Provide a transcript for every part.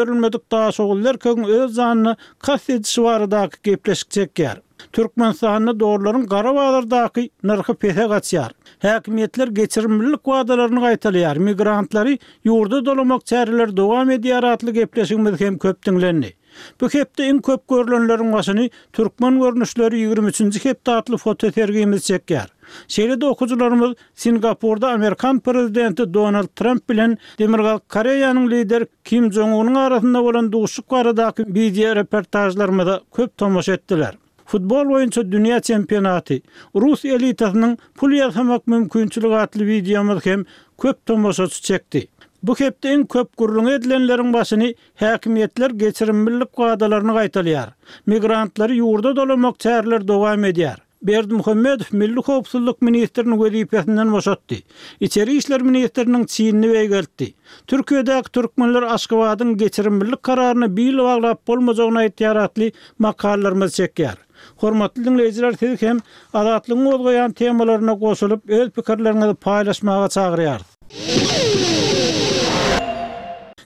Goýberilmedik daşoguzly erkegiň öz janyna kast edişi baradaky gepleşik çekýär. Türkmenistanda dollaryň gara bazardaky nyrhy pese gaçýar. Häkimiýetler geçirimlilik wadalaryny gaýtalaýar, migrantlary ýurda dolamak çäreleri dowam edýär atly gepleşigimiz hem köp diňlendi. Bu hepde iň köp görlenleriň başyny Türkmen görnüşleri 23-nji hepde atly fotosergimiz çekýär. Şeýle-de okyjylarymyz Singapurda amerikan prezidenti Donald Tramp bilen Demirgazyk Koreýanyň lideri Kim Jong Unyň arasynda bolan duşuşyk baradaky wideoreportažlarymyza köp tomaşa etdiler. Futbol boýunça dünýä çempionaty, Rus elitasynyň pul ýasamak mümkinçiligi atly wideomyz hem köp tomaşaçy çekdi. Bu hepde iň köp gürrüňi edilenleriň başyny häkimiýetler geçirimlilik wadalaryny gaýtalaýar. Migrantlary ýurda dolamak çäreleri dowam edýär. Berdimuhamedow milli howpsuzlyk ministrini wezipesinden boşatdy. Içeri işler ministriniň çinini beýgeltdi. Türkiýedäki türkmenler Aşgabadyň geçirimlilik kararyna bil baglap bolmajagyny aýtýar atly makalalarymyzy çekýär. Hormatly diňleýjiler sizi hem Azatlygyň gozgaýan temalaryna goşulyp öz pikirleriňizi paýlaşmaga çagyrýarys.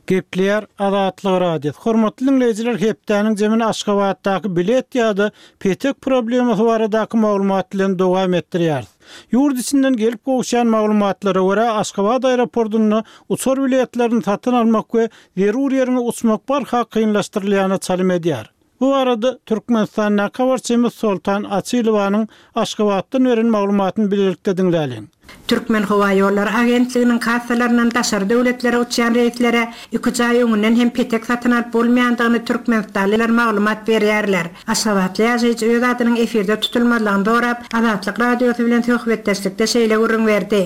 Gepleýär Azatlyk Radiosy. Hormatly diňleýjiler hepdäniň jemini Aşgabatdaky bilet ýa-da petek problemasy baradaky maglumat bilen dowam etdirýäris. Ýurt içinden gelip gowuşýan maglumatlara görä, Aşgabat aeroportunda uçar biletlerini satyn almak we zerur ýeriňe uçmak barha kynlaşdyrylýana çalym edýär. Bu barada Türkmenistandaky habarçymyz Soltan Açylowanyň Aşgabatdan beren maglumatyny bilelikde diňläliň. Türkmenhowaýollary agentliginiň kassalaryndan daşary döwletlere uçýan reýslere iküç aý öňünden hem petek satyn alyp bolmaýandygyny türkmenistanlylar maglumat berýärler. Aşgabatly ýaşaýjy öz adynyň efirde tutulmazlygyny sorap, Azatlyk Radiosy bilen söhbetdeşlikde şeýle gürrüň berdi,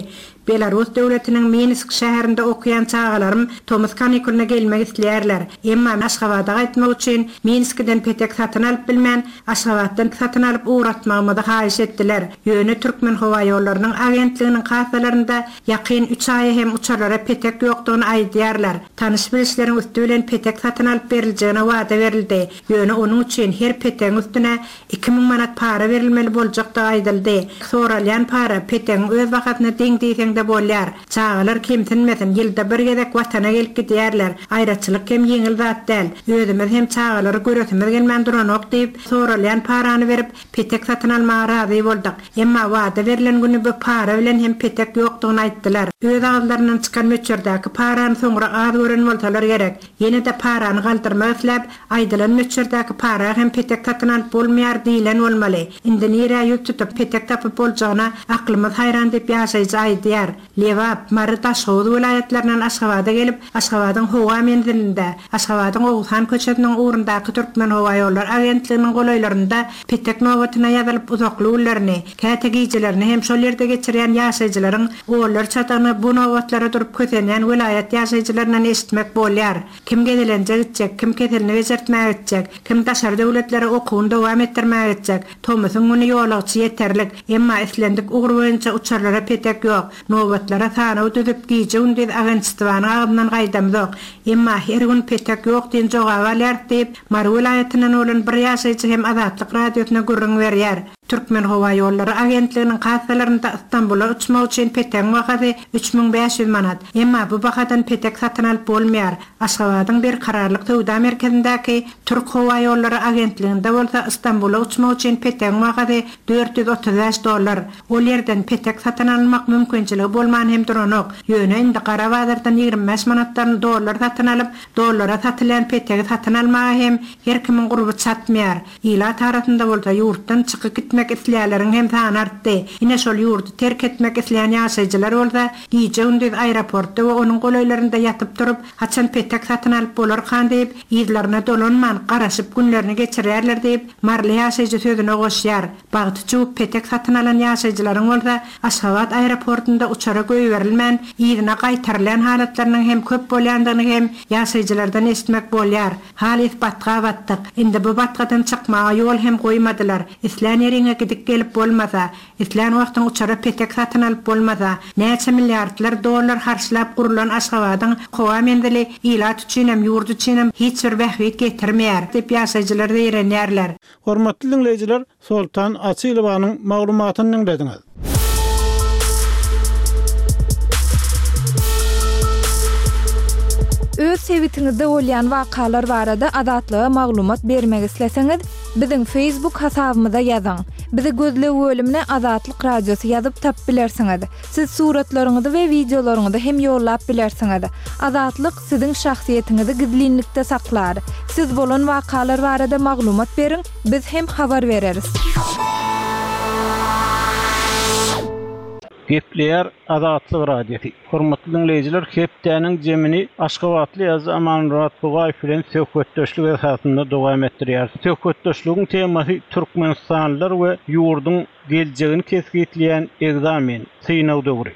Belarus döwletiniň Minsk şäherinde okaýan çagalarym tomus kanikulyna gelmek isleýärler. Emma Aşgabada gaýtmak üçin Minskiden petek satyn alyp bilmän, Aşgabatdan satyn alyp ugratmagymyzy haýyş etdiler. Ýöne Türkmenhowaýollarynyň agentliginiň kassalarynda ýakyn üç aýa hem uçarlara petek ýokdugyny aýdýarlar. Tanyş-bilişleriň üsti bilen petek satyn alyp beriljegine wada berildi. Ýöne onuň üçin her petegiň üstüne 2000 manat para berilmeli boljakdygy aýdyldy. Soralýan para petegiň öz bahasyna deň diýseň-de bolýar. Çagalar kemsinmesin, ýylda bir gezek Watana gelip gidýärler. Aýraçylyk hem ýeňil zat däl. Özümiz hem çagalary göresimiz gelmän duranok diýip, soralýan parany berip, petek satyn almaga razy bolduk. Emma wada berlen güni bu para bilen hem petek ýokdugyny aýtdylar. Öz agyzlaryndan çykan möçberdäki parany soňra az gören bolsalar gerek. Ýene-de parany galdyrmak isläp, aýdylan möçberdäki para hem petek satyn alyp bolmaýar diýlen bolmaly. Indi nirä ýüz tutup, petek tapyp boljagyna aklymyz haýran diýip ýaşaýjy aýdýar. Lebap, Mary, Daşhowuz welaýatlaryndan Aşgabada gelip, Aşgabadyň howa menzilinde, Aşgabadyň Oguzhan köçesiniň ugrundaky Türkmenhowaýollary agentliginiň golaýlarynda petek nobatyna ýazylyp uzakly günlerini, käte gijelerini hem şol ýerde geçirýän ýaşaýjylaryň onlarçadygyny bu nobatlara durup kösenýän welaýat ýaşaýjylaryndan eşitmek bolýar. Kim gezelenje gitjek, kim keselini bejertmäge gitjek, kim daşary döwletlere okuwyny dowam etdirmäge gitjek. Tomusyň güni ýolagçy ýeterlik. Emma islendik ugur boýunça uçarlara petek ýok. Nobatlara sanaw düzüp, gije-gündiz agentstwanyň agzyndan gaýdamzok. Emma her gün petek ýok diýen jogaby alýarys diýip, Mary welaýatyndan bolan bir ýaşaýjy hem Azatlyk Radiosyna gürrüň berýär. Türkmenhowaýollary agentliginiň kassalarynda Stambula uçmak üçin petegiň bahasy 3500 manat. Emma bu bahadan petek satyn alyp bolmaýar. Aşgabadyň Berkararlyk söwda merkezindäki Türkhowaýollary agentliginde bolsa Stambula uçmak üçin petegiň bahasy 435 dollar. Ol ýerden petek satyn alynmak mümkinçiligi bolman hem duranok. Ýöne indi gara bazardan 25 manatdan dollar satyn alyp, dollara satylýan petegi satyn almaga hem her kimiň gurby çatmaýar. Ilat arasynda bolsa ýurtdan çykyp gitmek isleýänleriň hem sany artdy. Ine şol ýurdy terk etmek isleýän ýaşaýjylar bolsa gije-gündiz aeroportda we onuň golaýlarynda ýatyp-turup, haçan petek satyn alyp bolarkan diýip, yzlaryna dolanman, garaşyp günlerini geçirýärler diýip, maryly ýaşaýjy sözüne goşýar. Bagty çüwüp petek satyn alan ýaşaýjylaryň bolsa Aşgabat aeroportunda uçara goýberilmän, yzyna gaýtarylýan halatlarynyň hem köp bolýandygyny hem ýaşaýjylardan eşitmek bolýar. Halys batga batdyk. Indi bu batgadan çykmaga ýol hem goýmadylar. Islän ýeriňe gidip-gelip bolmasa, islän wagtyň uçara petek satyn alyp bolmasa, näçe milliardlar dollar harçlap gurulan Aşgabadyň howa menzili ilat üçinem, ýurt üçinem hiç bir bähbit getirmeýär, diýip ýaşaýjylar zeýrenýärler. Hormatly diňleýjiler, Soltan Açylowanyň maglumatyny diňlediňiz. Öz sebitiňizde bolýan wakalar barada Azatlyga maglumat bermek isleseňiz, biziň Facebook hasabymyza ýazyň. Bizi gözleg bölümine Azatlyk Radiosy ýazyp tapyp bilersiňiz. Siz suratlaryňyzy we wideolaryňyzy hem ýollap bilersiňiz. Azatlyk siziň şahsyýetiňizi gizlinlikde saklar. Siz bolan wakalar barada maglumat beriň, biz hem habar bereris. Gepleýär Azatlyk Radiosy. Hormatly diňleýjiler, hepdäniň jemini aşgabatly ýazyjy Amanmyrat Bugaýew bilen söhbetdeşlik esasynda dowam etdirýäris. Söhbetdeşligiň temasy türkmenistanlylar we ýurduň geljegini kesgitleýän ekzamen, synag döwri.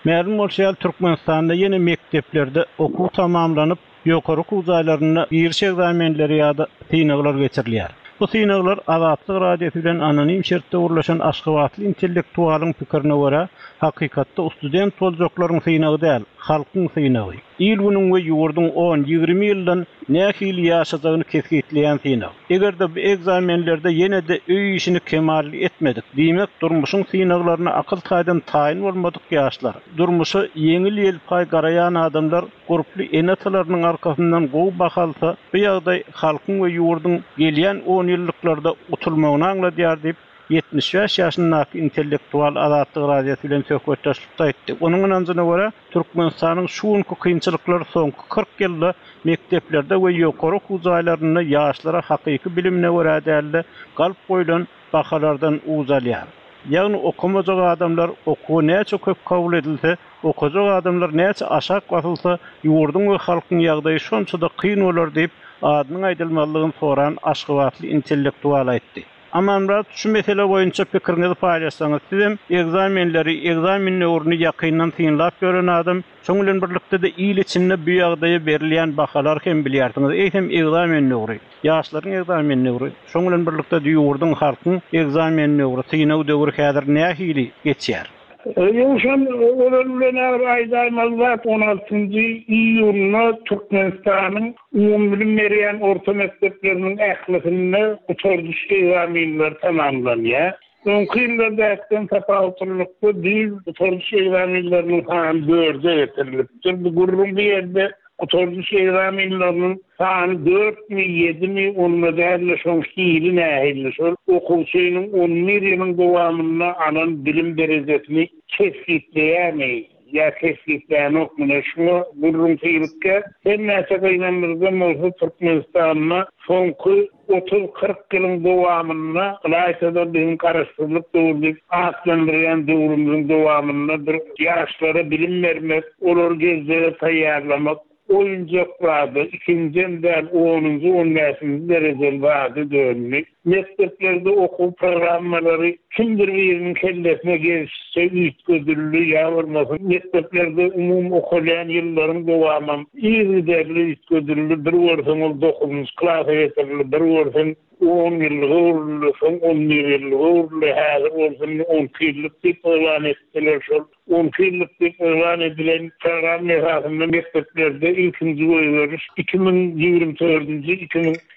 Mälim bolşy ýaly, Türkmenistanda ýene mekdeplerde okuw tamamlanyp, ýokary okuw jaýlarynda giriş ekzamenleri ýa-da synaglar geçirilýär. Bu synaglar Azatlyk Radiosy bilen anonim şertde gürleşen aşgabatly intellektualyň pikirine görä, hakykatda student boljaklaryň synagy däl, halkyň synagy. Il-günüň we ýurduň on, 20 ýyldan nähili ýaşajagyny kesgitleýän synag. Eger-de bu ekzamenlerde ýene-de öý işini kemally etmedik, diýmek, durmuşyň synaglaryna akyl taýdan taýyn bolmadyk ýaşlar, durmuşa ýeňil-ýelpaý garaýan adamlar gurply ene-atalarynyň arkasyndan gowy baha alsa, bu ýagdaý halkyň we ýurduň gelýän onýyllyklarda utulmagyny aňladýar diýip, 75 ýaşyndaky intellektual Azatlyk Radiosy bilen söhbetdeşlikde aýtdy. Onuň ynanjyna görä, Türkmenistanyň şu günki kynçylyklary soňky 40 ýylda mekdeplerde we ýokary okuw jaýlarynda ýaşlara hakyky bilimine görä däl-de, galp goýlan bahalardan uç alýar. Ýagny okamajak adamlar okuwa näçe köp kabul edilse, okajak adamlar näçe aşak basylsa, ýurduň we halkyň ýagdaýy şonça-da kyn bolar diýip, adynyň aýdylmazlygyny soran aşgabatly intellektual aýtdy. Amanmyrat, şu mesele boýunça pikiriňizi paýlaşsaňyz, sizem ekzamenleri, ekzamen döwrüni ýakyndan synlap ýören adam, şoň bilen birlikde-de il içinde bu ýagdaýa berilýän bahalary hem bilýärsiňiz. Eýsem ekzamen döwri, ýaşlaryň ekzamen döwri, şoň bilen birlikde-de ýurduň, halkyň ekzamen döwri, synag döwri häzir nähili geçýär? Ýowşan ozal bilen bir aýdaýmaly zat, on altynjy iýunda Türkmenistanyň umumybilim berýän orta mekdepleriniň ählisinde gutardyş ekzamenleri tamamlanýar. Öňki ýyllardakydan tapawutlylykda düýn gutardyş ekzamenleriniň sany dörde getirilipdir. Bu gürrüň bu ýerde Gutardyş ekzamenleriniň sany dörtmi, ýedimi, onda däl-de, şoň hili nähili, şol okuwçynyň on bir ýylyň dowamynda alan bilim derejesini kesgitleýärmi ýa kesgitlänokmy, ine, şuňa gürrüň syrykýar. Her näçe gynandyryjam bolsa, Türkmenistanda soňky Otuz- 40 ýylyň dowamynda, ylaýta-da biziň Garaşsyzlyk döwri diýip atlandyrýan döwrümiziň dowamynda bir ýaşlara bilim bermek, olary geljege taýýarlamak oýunjak zada, ikinjem däl, onunjy, on bäşinji derejeli zada döndi. Mekdeplerde okuw programmalary kimdir biriniň kellesine gelşiçe üýtgedildi ýa bolmasa mekdeplerde umumy okalýan ýyllaryň dowamam yzygiderli üýtgedildi, bir görseň ol dokuzynjy klasa getirildi, bir görseň on ýyllyga öwrüldi, soň on bir ýyllyga öwrüldi, häzir bolsa indi on iki ýyllyk diýip yglan etdiler. Şol on iki ýyllyk diýip yglan edilen programma esasynda mekdeplerde ilkinji goýberiş 2024-nji,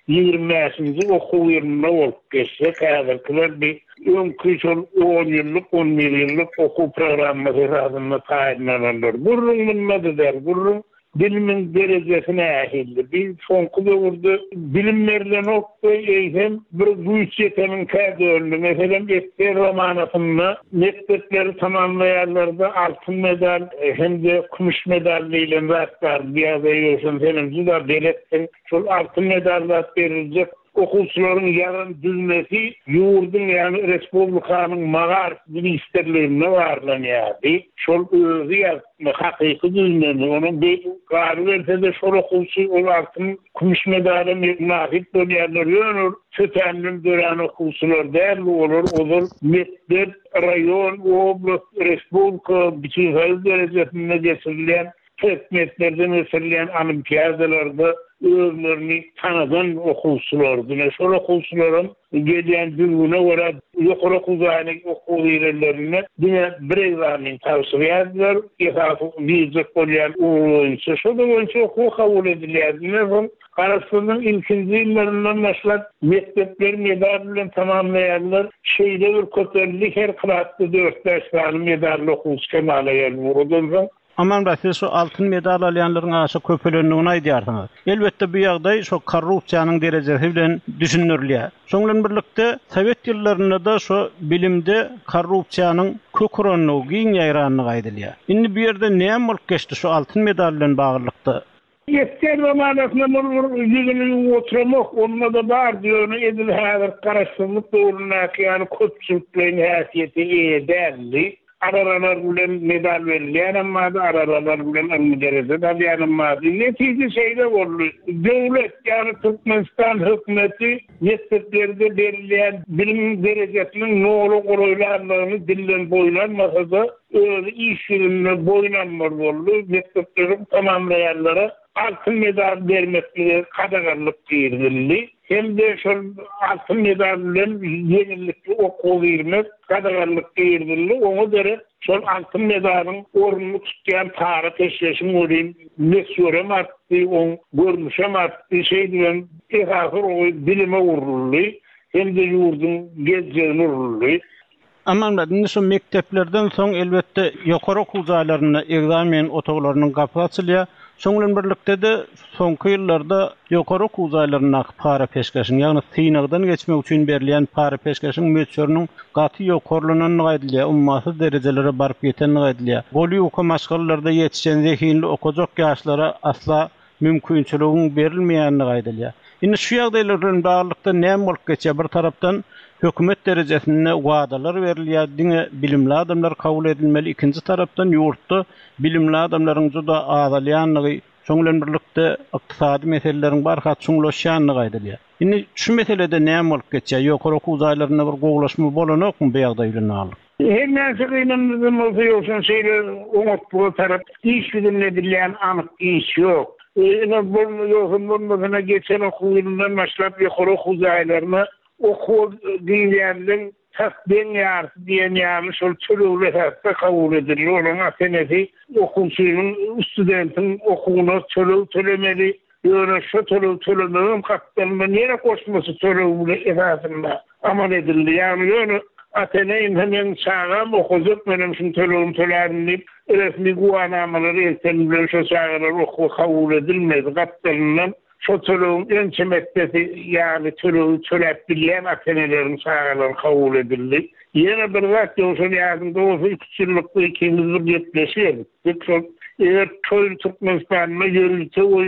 2025-nji okuw ýylynda bolup geçjek. Häzirkiler bi öňki şol on ýyllyk, on bir ýyllyk okuw programmasy esasynda taýynlananlar. Gürrüň munda-da däl, gürrüň Bilimiň derejesi nähili? Bi soňky döwürde bilim berlenokdy, eýsem bir güýç ýeteniňkä döndi. Meselem, ssr zamanasynda mekdepleri tamamlaýanlarda altyn medal hem-de kümüş medal diýlen zat bardy. Bu ýagdaýa Ýowşan senem juda beletsiň. Şol altyn medal zat beriljek okuwçylaryň ýazan düzmesi ýurduň, ýagny respublikanyň magaryf ministrliginde barlanýardy. Şol özi ýazypmy, hakyky düzmemi, onuň galyberse-de şol okuwçy ol altyn, kümüş medala mynasyp bolýarlar. Ýöne ol tötänden dörän okuwçylar däldi, olar ozal mekdep, raýon, oblast, respublika, bütinsoýuz derejesinde geçirilýän Predmetlerden geçirilýän olimpiadalarda özlerini tanadan okuwçylardy. Ine, şol okuwçylaram gelýän düzgüne görä ýokary okuw jaýyna okuwa girenlerinde diňe bir ekzamen tabşyrýardylar, esasy girjek bolýan ugur boýunça. Şo-da boýunça okuwa kabul edilýärdi. Ine, soň Garaşsyzlygyň ilkinji ýyllaryndan başlap mekdepleri medal bilen tamamlaýarlar. Şeýle bir köpeldi, her klasda dört-bäş sany medally okuwçy kemala geldi. Odan soň. Amanmyrat, siz şu altyn medal alýanlaryň aşa köpelendigini aýdýarsyňyz. Elbetde, bu ýagdaý şo korrupsiýanyň derejesi bilen düşündirilýär. Şoň bilen birlikde, sowet ýyllarynda-da şo bilimde korrupsiýanyň kök urandygy, giň ýaýrandygy aýdylýar. Indi bu ýerde näme bolup geçdi şu altyn medal bilen baglylykda? Esger zamanasynda ol bir ýüzüni ýuwup oturamok, onda-da bardy, ýöne edil häzirki garaşsyzlyk döwründäki ýaly köpçülikleýin häsiýete eýe däldi. Araralar bilen medal berilýänem bardy, araralar bilen ylmy dereje-de alýanam bardy. Netije şeýle boldy, döwlet, ýagny Türkmenistan hökümeti mekdeplerde berilýän bilim derejesiniň nola golaýlandygyny dilden boýun almasa-da, özi iş ýüzünde boýun almaly boldy, mekdepleri tamamlaýanlara altyn medal bermeklige gadaganlyk girizildi hem-de şol altyn medal bilen ýeňillikli okuwa girmek gadaganlyk girizildi, oňa derek şol altyn medalyň ornuny tutýan para-peşgeşiň welin möçberem artdy, oň görnüşem artdy, şeýdibem esasy urgy bilime uruldy hem-de ýurduň geljegine uruldy. Amanmyrat, indi şu mekdeplerden soň, elbetde, ýokary okuw jaýlarynda ekzamen otaglarynyň gapysy açylýar. Şoň bilen birlikde-de, soňky ýyllarda ýokary okuw jaýlaryndaky para-peşgeşiň, ýagny synagdan geçmek üçin berilýän para-peşgeşiň möçberiniň gaty ýokarlanandygy aýdylýar, ummasyz derejelere baryp ýetendigi aýdylýar. Goly ýuka maşgalalarda ýetişen zehinli okajak ýaşlara asla mümkinçiligiň berilmeýändigi aýdylýar. Indi şu ýagdaýlar bilen baglylykda näme bolup geçýär? Bir tarapdan hökümet derejesinde wadalar berilýär, diňe bilimli adamlar kabul edilmeli, ikinji tarapdan ýurtda bilimli adamlaryň juda azalýandygy, şoň bilen birlikde ykdysady meseleleriň barha çuňlaşýandygy aýdylýar. Indi şu meselede näme bolup geçýär? Ýokary okuw jaýlarynda bir gowulaşma bolanokmy bu ýagdaý bilen baglylykda? Her näçe gynandyjam bolsa Ýowşan şeýle oňatlyga tarap iş ýüzünde edilýän anyk iş ýok. Ine bolma ýogsam bolmasyna geçen okuw ýylyndan başlap ýokary okuw jaýlaryna okuwa girýänleň tas deň ýarysy diýen ýaly şol tölegli esasda kabul edildi. Olaryň ata-enesi okuwçynyň, studentiň okuwyna töleg tölemeli. Ýöne şo tölegi tölemegem gapdalyndan ýene goşmaça töleg bilen esasynda amal edildi. Ýagny ýöne ata-ene indi meň çagam okajak menem şuň tölegini tölärin diýip resmi güwänamalary elten bilen şo çagalar okuwa kabul edilmedi. Gapdalyndan şo tölegiň ençeme essesi ýaly tölegi töläp bilýän ata-eneleriň çagalary kabul edildi. Ýene bir zat Ýowşan ýadyňda bolsa iki-üç ýyllykda ikimiz bir gepleşik edip. Biz şol eger toý Türkmenistanda ýörite we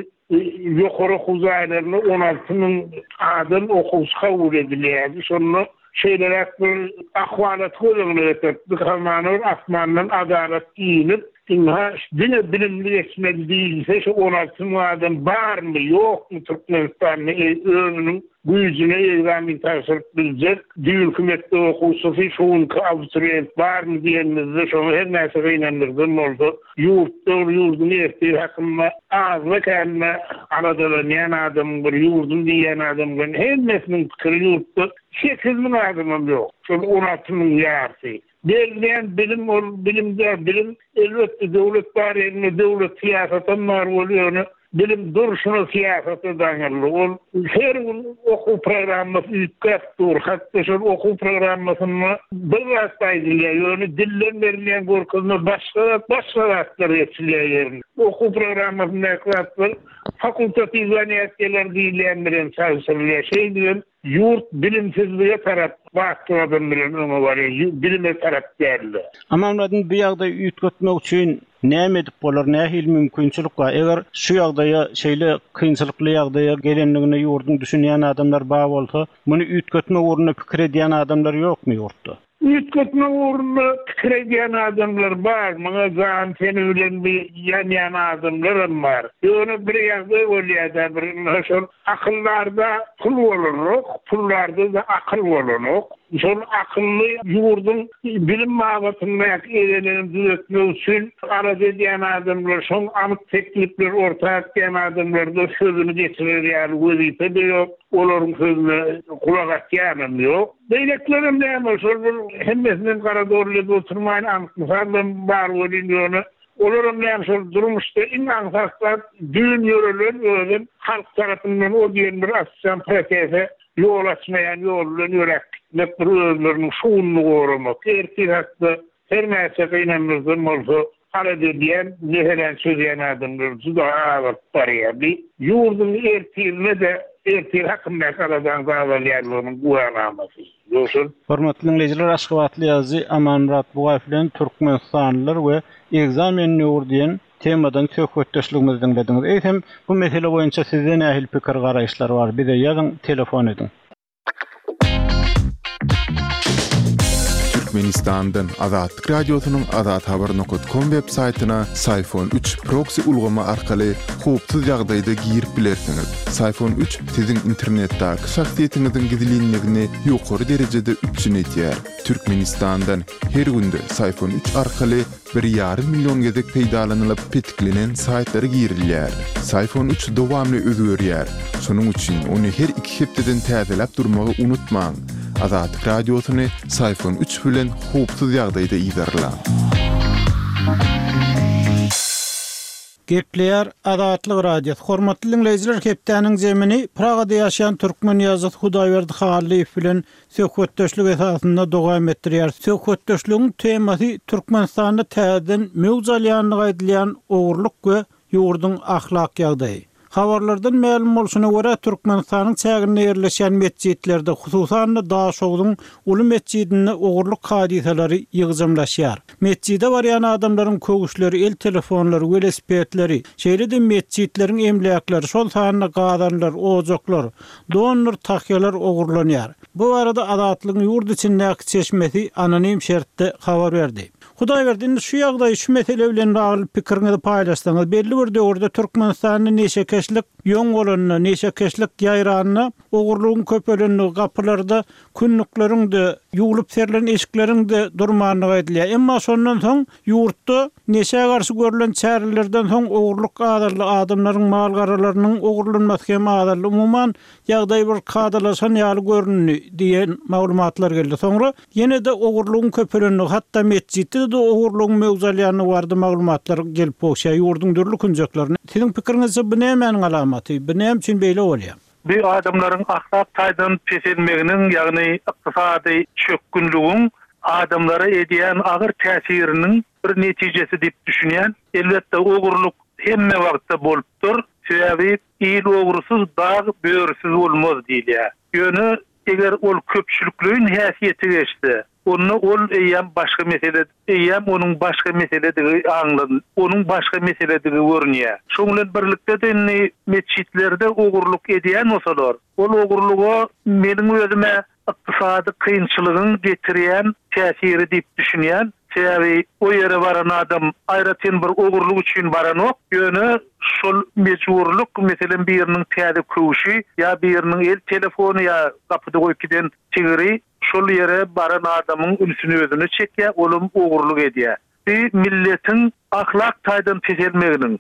ýokary okuw jaýlarynda 16 müň adam okuwçy kabul edilýärdi. Şonda şeýleräk bir ahwalaty göz öňüne getiripdik. Hamana bir asmandan adalat inip, ynha diňe bilimli geçmeli diýilse şu 16 müň adam barmy, ýokmy Türkmenistanda özüniň Güýjüne ekzamen tabşyryp biljek düýnki mekdep okuwçysy, şu günki abiturient barmy diýenimizde şoňa her näçe gynandyrdan bolsa, ýurtda bir ýurduň ertiri hakynda azda-kände aladalanýan adamyň bir ýurdum diýýän adamlaryň hemmesiniň pikiri ýurtda 8000 adamam ýok, şol 16 müň ýarysy. Berilýän bilim ol bilim däl, bilim elbetde döwlet bar ýerinde döwlet syýasatam bar bol ýöne bilim durşuna syýasata daňyldy. Ol her gün okuw programmasy üýtgäp dur. Hatda şol okuw programmasynda bir zat aýdylýar, ýöne dilden berilýän görkezme başga zat, başga zatlar geçilýär ýerine. Okuw programmasyndaky zatlar fakultatiw zanýatiýalar diýilýän bilen çalşyrylýar. Şeýdibem Ýurt bilimsizlige tarap batly gadam bilen öňe barýar, bilime tarap däl-de. Amanmyradyň bu ýagdaýy üýtgetmek üçin näme edip bolar, nähili mümkinçilik bar? Eger şu ýagdaýa, şeýle kynçylykly ýagdaýa gelendigine ýurduň düşünýän adamlary bar bolsa, muny üýtgetmek ugrunda pikir edýän adamlar ýokmy ýurtda? Üýtgetmek ugrunda pikir edýän adamlar bar, muňa jany-teni bilen bir ýanýan adamlaram bar. Ýöne bir ýagdaý bolýar-da, bir ynha şol akyldarda pul bolanok, puldarda-da akyl bolanok. Şol akylly ýurduň bilim babatyndaky egelegini düzetmek üçin alada edýän adamlar, şoň anyk teklipleri orta atýan adamlarda sözüni geçirer ýaly wezipe-de ýok, olaryň sözüne gulak asýanam ýok. Beýlekilerem näme, şol bir hemmesinem gara dolly edip oturmaýyn, anyk mysallam bar welin, ýöne olaram näme şol durmuşda iň aňsat zat düýn ýörelen özem halk tarapyndan o diýen bir açýan prosese ýol açmaýan ýol bilen ýöräp gitmek bir özleriniň şu gününi goramak. Ertir hakda her näçe gynandyrsam bolsa. alada edýän, meseläni çözýän adamlar juda azalyp barýar. Bu ýurduň ertirine-de, ertir hakyndaky aladaň azalýanlygynyň güwänamasy. Ýogsam. Hormatly diňleýjiler, aşgabatly ýazyjy Amanmyrat Bugaýew bilen Türkmenistanlylar we ekzamen döwri diýen temadan söhbetdeşligimizi diňlediňiz. Eýsem, bu mesele boýunça sizde nähili pikir-garaýyşlar bar? Bize ýazyň, telefon ediň. Türkmenistandan Azatlyk Radiosynyň Azathabar nokat kom web saýtyna Syfon 3 proksi ulgamy arkaly howpsuz ýagdaýda girip bilersiňiz. Syfon 3 siziň internetdäki şahsyýetiňiziň gizlinligini ýokary derejede üpjün edýär. Türkmenistandan her günde Syfon 3 arkaly bir ýarym million gezek peýdalanylyp petiklenen saýtlara girilýär. Syfon 3 dowamly özgerýär. Şonuň üçin ony her iki hepdeden täzeläp durmagy unutmaň. Azatlyk Radiosyny Syfon 3 bilen howpsuz ýagdaýda yzarlaň. Gepleýär Azatlyk Radiosy. Hormatly diňleýjiler hepdäniň zemini Pragada ýaşaýan türkmen ýazyjysy Hudaýberdi Hallyýew bilen söhbetdeşlik esasynda dowam etdirýär. Söhbetdeşligiň temasy Türkmenistanda täzeden möwç alýandygy aýdylýan ogurlyk we ýurduň ahlak ýagdaýy. Habarlardan mälim bolşuna görä, Türkmenistanyň çäginde ýerleşýän metjitlerde, hususan-da Daşogzuň uly metjidinde ogurlyk hadysalary ýygjamlaşýar. Metjide barýan adamlaryň köwüşleri, el telefonlary, welosipedleri, şeýle-de metjitleriň emläkleri, şol sanda gazanlar, ojaklar, dondur tahýalar ogurlanýar. Bu barada Azatlygyň ýurt içindäki çeşmesi anonim şertde habar berdi. Hudaýberdi, indi şu ýagdaý, şu mesele bilen bagly pikiriňizi paýlaşsaňyz, belli bir döwürde Türkmenistanda neşekeşlik ýoň bolanda, neşekeşlik ýaýranda, ogurlygyň köpelendigi, gapylarda kündükleriň-de, ýuwlup serilen eşikleriň-de durmandygy aýdylýar. Emma şondan soň ýurtda neşä garşy görlen çärelerden soň ogurlyk azaldy, adamlaryň mal-garalarynyň ogurlanmasy hem azaldy. Umuman, ýagdaý bir kadalaşan ýaly göründi diýen maglumatlar geldi. Soňra ýene-de ogurlygyň köpelendigi, hatda metjitde-de ogurlygyň möwç alýandygy barada maglumatlar gelip gowşýar ýurduň dürli künjeklerinde. Siziň pikiriňizçe bu nämäniň alamaty? Bu näme üçin beýle bolýar? Bu adamlaryň ahlak taýdan peselmeginiň, ýagny ykdysady çökgünligiň adamlara edýän agyr täsiriniň bir netijesi diýip düşünýän. Elbetde, ogurlyk hemme wagtda bolupdyr. Sebäbi il ogrusyz, dag börüsiz bolmaz diýilýär. Ýöne eger ol köpçülikleýin häsiýete geçse, Onda ol eýýäm başga mesele, eýýäm onuň başga meseledigi aňlan, onuň başga meseledigi görünýär. Şoň bilen birlikde-de indi metjitlerde ogurlyk edýän bolsalar, ol ogurlyga meniň özüm-ä ykdysady kynçylygyň getirýän täsiri diýip düşünýän. Sebäbi o ýere baran adam aýratyn bir ogurlyk üçin baranok, ýöne şol mejburlyk, meselem biriniň täze köwşi ýa biriniň el telefony ýa gapyda goýup giden tigiri Şol ýere baran adamyň ünsüni özüne çekýär, olam ogurlyk edýär. Bu milletiň ahlak taýdan peselmeginiň,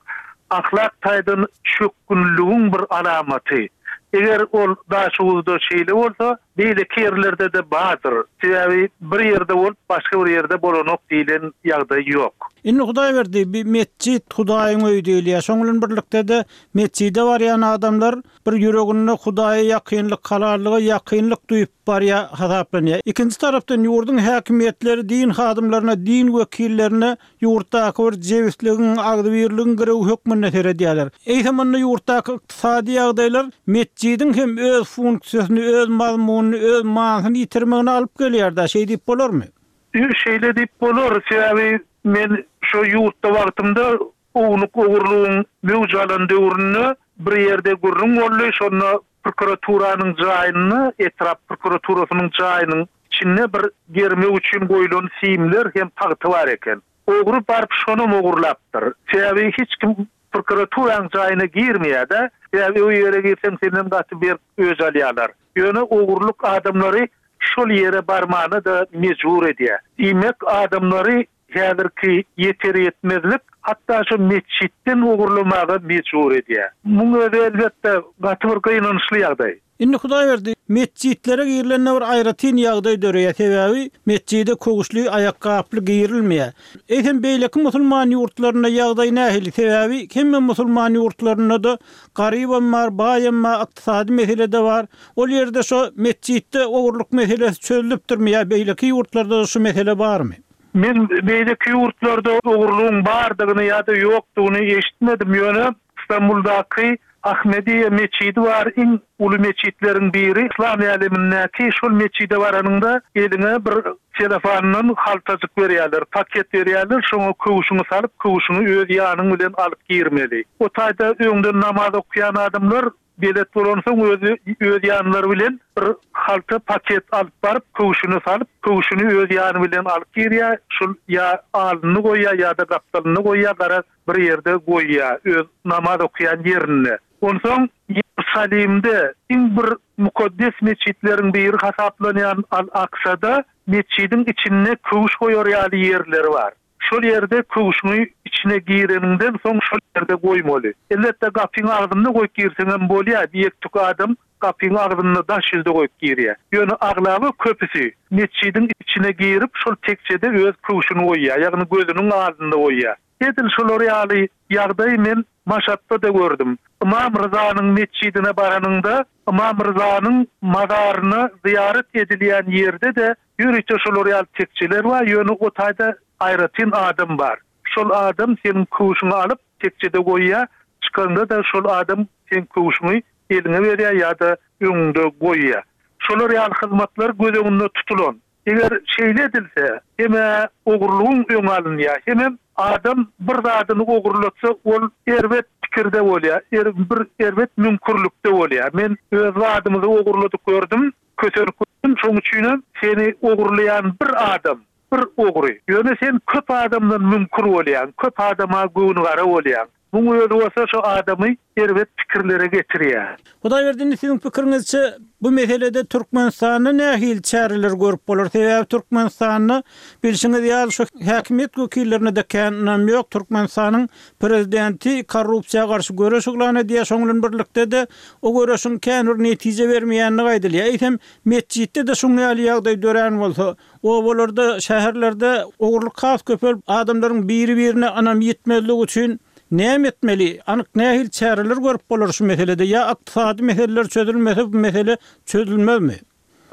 ahlak taýdan çökgünligiň bir alamaty. Eger ol Daşoguzda şeýle bolsa, beýleki ýerlerde-de bardyr. Sebäbi bir ýerde bolup, başga bir ýerde bolanok diýlen ýagdaý ýok. Indi Hudaýberdi, bi metjit Hudaýyň öýi diýilýär. Şoň bilen birlikde-de metjide barýan adamlar Bir ýüreginde Hudaýa ýakynlyk, halallyga ýakynlyk duýup barýar hasaplanýar. Ikinji tarapdan ýurduň häkimiýetleri din hadymlaryna, din wekillerine ýurtdaky bir jebisligiň, agzybirligiň girewi hökmünde seredýärler. Eýsem onda ýurtdaky ykdysady ýagdaýlar metjidiň hem öz funksiýasyny, öz mazmunyny, öz manysyny ýitirmegine alyp gelýär-dä, şeý diýip bolarmy? Şeýle diýip bolar, sebäbi men şo ýurtda wagtymda Ownuk ogurlygyň möwç alan döwründe bir ýerde gürrüň boldy, şonda prokuraturanyň jaýynda, etrap prokuraturasynyň jaýynyň içinde bir germew üçin goýlan simler hem tagta bar eken. Ogry baryp şonam ogurlapdyr. Sebäbi hiç kim prokuraturanyň jaýyna girmeýär-de, sebäbi o ýere girseň senden gaty berk öç alýarlar. Ýöne ogurlyk adamlary şol ýere barmana-da mejbur edýär. Diýmek, adamlary Häzirki ýeter-ýetmezlik hatda şo metjitden ogurlamaga mejbur edýär. Muň özi elbetde gaty bir gynançly ýagdaý. Indi Hudaýberdi, metjitlere girilende bir aýratyn ýagdaý döreýär, sebäbi metjide köwüşli, aýakgaply girilmeýär. Eýsem beýleki musulman ýurtlarynda ýagdaý nähili, sebäbi hemme musulman ýurtlarynda-da garybam bar, baýam bar, ykdysady mesele-de bar. Ol ýerde şo metjitde ogurlyk meselesi çözlüpdirmi ýa beýleki ýurtlarda-da şu mesele barmy? Men beýleki ýurtlarda ogurlygyň bardygyny ýa-da ýokdugyny eşitmedim, ýöne Stambuldaky Ahmediýe metjidi bar, iň uly metjitleriň biri yslam älemindäki, şol metjide baranyňda eliňe bir selofandan haltajyk berýärler, paket berýärler, şoňa köwşüňi salyp, köwşüňi öz ýanyň bilen alyp girmeli. O taýda öňden namaz okaýan adamlar belet bolansoň özi öz ýanlary bilen bir halta paket alyp baryp, köwşüni salyp, köwşüni öz ýany bilen alyp girýär, şol ýa alnynda goýýar ýa-da gapdalynda goýýar, garaz bir ýerde goýýar, öz namaz okaýan ýerinde. Onsoň Ýerusalimde iň bir mukaddes metjitleriň biri hasaplanýan Al-Aksada metjidiň içinde köwüş goýar ýaly ýerleri bar. Şol ýerde köwşüňi içine gireniňden soň şol ýerde goýmaly. Elbetde gapyň agzynda goýup girseňem bolýar, ýek-tük adam gapyň agzynda daş ýüzde goýup girýär. Ýöne aglaba köpüsi metjidiň içine girip şol tekjede öz köwşüni goýýar, ýagny gözüniň alnynda goýýar. Edil şolar ýaly ýagdaýy men Maşatda-da gördüm. Ymam Ryzanyň metjidine baranyňda Ymam Ryzanyň mazaryna zyýarat edilýän ýerde-de ýörite şolar ýaly tekjeler bar, ýöne o taýda aýratyn adam bar. Şol adam seniň köwşüňi alyp, tekjede goýýar, çykanda-da şol adam seň köwşüňi eliňe berýär ýa-da öňüňde goýýar. Şolar ýaly hyzmatlar göz öňünde tutulan. Eger şeýle edilse, hem-ä ogurlygyň öňi alynýar, hemem adam bir zadyny ogurlatsa, ol erbet pikirde bolýar, bir erbet müňkürlikde bolýar. Men öz zadymyzy ogurladyp gördüm, kösenip gördüm, şonuň üçinem seni ogurlaýan bir adam, bir ogry. Ýöne sen köp adamdan müňkür bolýaň, köp adama göwnügara bolýaň. Muň özi bolsa şo adamy erbet pikirlere getirýär. Hudaýberdi indi siziň pikiriňizçe bu meselede Türkmenistanda nähili çäreler görüp bolar? Sebäbi Türkmenistanda bilşiňiz ýaly şu häkimiýet wekillerine-de kän ynam ýok. Türkmenistanyň prezidenti korrupsiýa garşy göreş yglan edýär, şoň bilen birlikde-de o göreşiň kän bir netije bermeýändigi aýdylýar. Eýsem metjitde-de şuň ýaly ýagdaý dörän bolsa, Obalarda, şäherlerde ogurlyk has köpelip, adamlaryň biri-birine ynamy ýitmezligi üçin näme etmeli? Anyk nähili çäreler görüp bolar şu meselede? Ýa ykdysady meseleler çözülmese bu mesele çözülmezmi?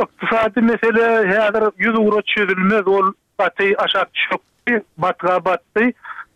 Ykdysady mesele häzir ýüzugra çözülmez. Ol gaty aşak çökdi, batga batdy.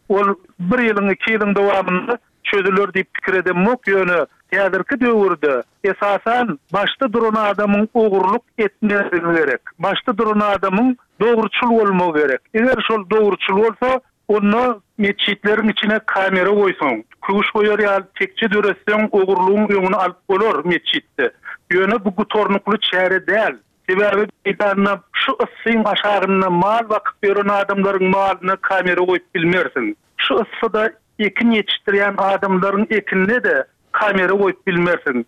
Ol bir ýylyň, iki ýylyň dowamynda çözüler diýip pikir edemok, ýöne häzirki döwürde esasan başda duran adamyň ogurlyk etmezligi gerek. Başda duran adamyň dogruçyl bolmagy gerek. Eger şol dogruçyl bolsa, onda metjitleriň içine kamera goýsaň, köwüş goýar ýaly tekje döretseň ogurlygyň öňüni alyp bolar metjitde. Ýöne bu gutarnykly çäre däl. Sebäbi meýdanda şu yssyň aşagynda mal bakyp ýören adamlaryň malyna kamera goýup bilmersiň. Şu yssyda ekin ýetişdirýän adamlaryň ekinine-de kamera goýup bilmersiň.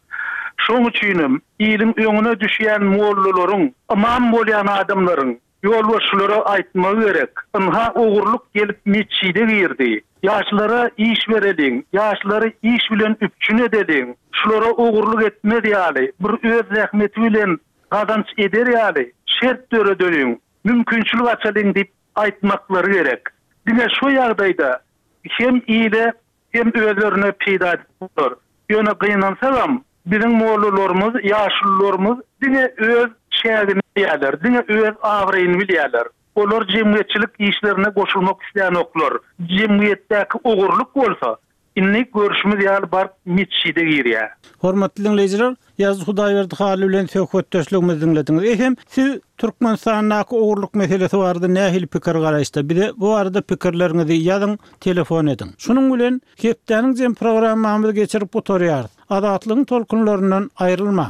Şoň üçinem iliň öňüne düşýän mollalaryň, ymam bolýan adamlaryň ýolbaşçylara aýtmagy gerek, ynha ogurlyk gelip metjide girdi. Ýaşlara iş bereliň, ýaşlary iş bilen üpjün edeliň, şulara ogurlyk etmez ýaly, bir öz zähmeti bilen gazanç eder ýaly şert döredeliň, mümkinçilik açalyň diýip aýtmaklary gerek. Diňe şo ýagdaýda hem ile, hem özlerine peýda edip bolar. Ýöne gynansagam, biziň mollalarymyz, ýaşulularymyz diňe öz çägini bilýärler, diňe öz abraýyny bilýärler. Olar jemgyýetçilik işlerine goşulmak islänoklar. Jemgyýetdäki ogurlyk bolsa, indi görşümiz ýaly baryp metjide girýär. Hormatly diňleýjiler, Ýazyjy Hudaýberdi Hally bilen söhbetdeşligimizi diňlediňiz. Eýsem, siz Türkmenistandaky ogurlyk meselesi barada nähili pikir-garaýyşda? Bize bu barada pikirleriňizi ýazyň, telefon ediň. Şunuň bilen, hepdäniň jem programmamyzy geçirip gutarýarys. Azatlygyň tolkunlaryndan aýrylmaň!